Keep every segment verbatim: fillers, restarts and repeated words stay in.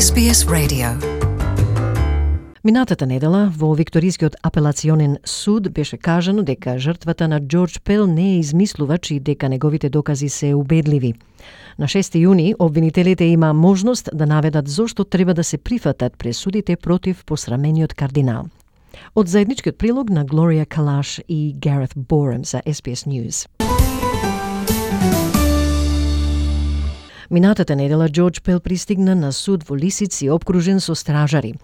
Ес Би Ес Radio. Минатата недела во Викторискиот апелационен суд беше кажано дека жртвата на Џорџ Пел не е измислувач и дека неговите докази се убедливи. На шести јуни обвинителите има можност да наведат зошто треба да се прифатат пресудите против посрамениот кардинал. Од заедничкиот прилог на Глорија Калаш и Гарет Борем за Ес Би Ес News. Минатата недела Џорџ Пел пристигна на суд во Лисици обкружен со стражари.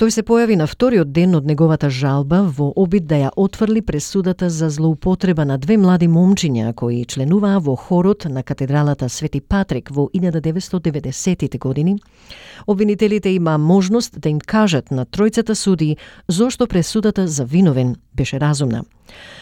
Тој се појави на вториот ден од неговата жалба во обид да ја отфрли пресудата за злоупотреба на две млади момчиња кои членуваа во хорот на катедралата Свети Патрик во илјада деветстотини и деветдесетите години. Обвинителите има можност да им кажат на тројцата суди зошто пресудата за виновен беше разумна.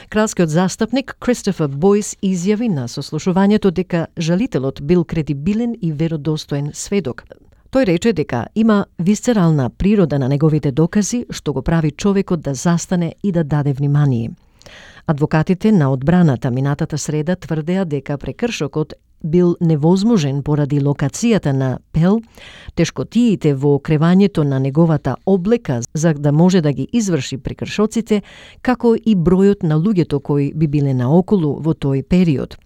Кралскиот застапник Кристофер Бојс изјави на сослушувањето дека жалителот бил кредибилен и веродостоен сведок. Тој рече дека има висцерална природа на неговите докази, што го прави човекот да застане и да даде внимание. Адвокатите на одбраната минатата среда тврдеа дека прекршокот бил невозможен поради локацијата на Пел, тешкотиите во кревањето на неговата облека за да може да ги изврши прекршоците, како и бројот на луѓето кои би биле наоколу во тој период.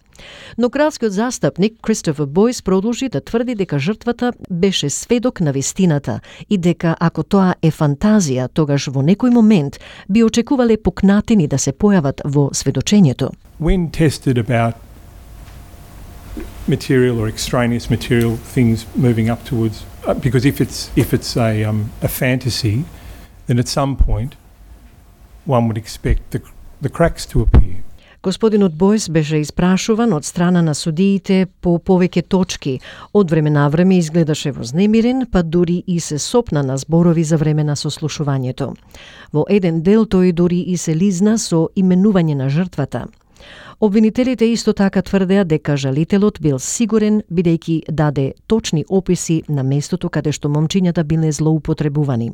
Но кралскиот застапник Кристофер Бојс продолжи да тврди дека жртвата беше сведок на вистината и дека ако тоа е фантазија, тогаш во некој момент би очекувале покнатини да се појават во сведочењето. When tested about material or extraneous material things moving up towards, uh, because if it's if it's a um, a fantasy, then at some point one would expect the the cracks to appear. Господинот Бојс беше испрашуван од страна на судиите по повеќе точки. Од време на време изгледаше вознемирен, па дури и се сопна на зборови за време на сослушувањето. Во еден дел тој дури и се лизна со именување на жртвата. Обвинителите исто така тврдеа дека жалителот бил сигурен бидејќи даде точни описи на местото каде што момчињата биле злоупотребувани.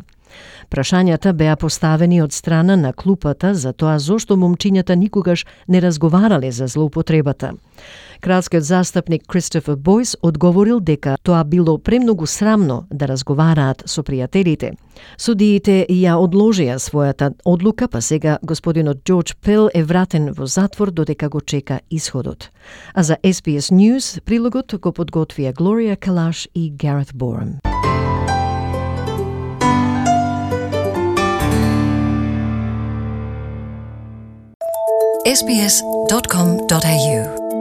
Прашањата беа поставени од страна на клупата за тоа зошто момчињата никогаш не разговарале за злоупотребата. Кралскиот застапник Кристофер Бојс одговорил дека тоа било премногу срамно да разговараат со пријателите. Судиите ја одложија својата одлука, па сега господинот Џорџ Пел е вратен во затвор додека го чека исходот. А за Ес Би Ес News прилогот го подготвија Глорија Калаш и Гарет Борем. ес би ес dot com dot a u